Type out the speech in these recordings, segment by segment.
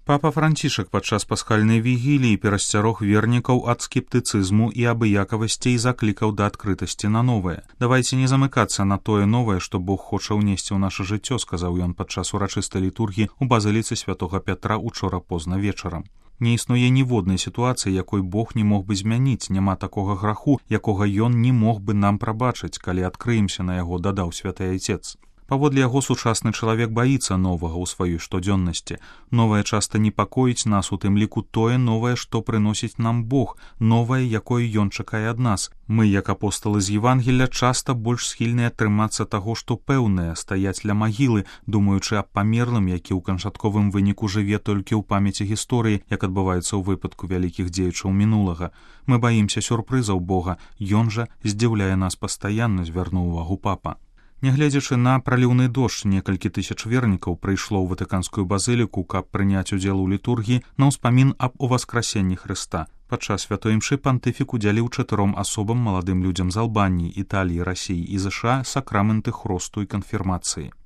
Папа Францішак падчас пасхальнай вігіліі перасцярог вернікаў ад скептыцызму і абыякавасці і заклікаў да адкрытасці на новае. Давайце не замыкацца на тое новае, што Бог хоча ўнесці ў наша жыццё, сказаў ён падчас урачыстай літургіі ў базыліцы святога Пятра учора позна вечарам. Не існуе ніводнай сітуацыі, якой Бог не мог бы змяніць, няма такога граху, якога ён не мог бы нам прабачыць, калі адкрыемся на яго, дадаў святы айцец. Паводле яго сучасны чалавек баіцца новага ў сваёй штодзённасці. Новае часта непакоіць нас, у тым ліку тое новае, што прыносіць нам Бог, новае, якое ён чакае ад нас. Мы, як апосталы з Евангелля, часта больш схільныя трымацца таго, што пэўнае, стаяць ля магілы, думаючы аб памерлым, які ў канчатковым выніку жыве толькі ў памяці гісторыі, як адбываецца ў выпадку вялікіх дзеячаў мінулага. Мы баімся сюрпрызаў Бога, ён жа здзіўляе нас пастаянна, звярнуў увагу папа. Нягледзячы на праліўны дождж, некалькі тысяч вернікаў прыйшло ў ватыканскую базыліку, каб прыняць удзел у літургіі на ўспамін аб уваскрасенні Хрыста. Падчас святой імшы пантыфік удзяліў 4 асобам, маладым людзям з Албаніі, Італіі, Расіі і ЗША сакрамэнты хросту і канфірмацыі.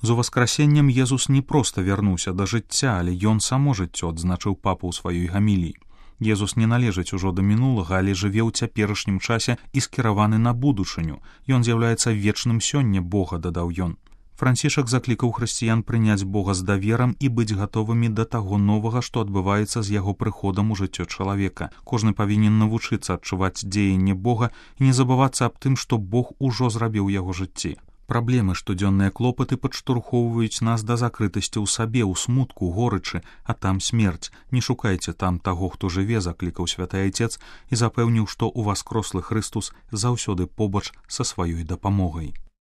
З уваскрасеннем Езус не проста вярнуўся да жыцця, але ён само жыццё, адзначыў папа ў сваёй гаміліі. Езус не належыць ужо да мінулага, але жыве ў цяперашнім часе і скіраваны на будучыню. Ён з'яўляецца вечным сёння Бога, дадаў ён. Францішак заклікаў хрысціян прыняць Бога з даверам і быць гатовымі да таго новага, што адбываецца з яго прыходам у жыццё чалавека. Кожны павінен навучыцца адчуваць дзеянне Бога і не забывацца аб тым, што Бог ужо зрабіў яго жыцці. Праблемы, штодзённыя клопаты падштурхоўваюць нас да закрытасці ў сабе, ў смутку, горычы, а там смерць. Не шукайце там таго, хто жыве, заклікаў святы айцец і запэўніў, што ўваскрослы Хрыстус заўсёды побач са сваёй дапамогай.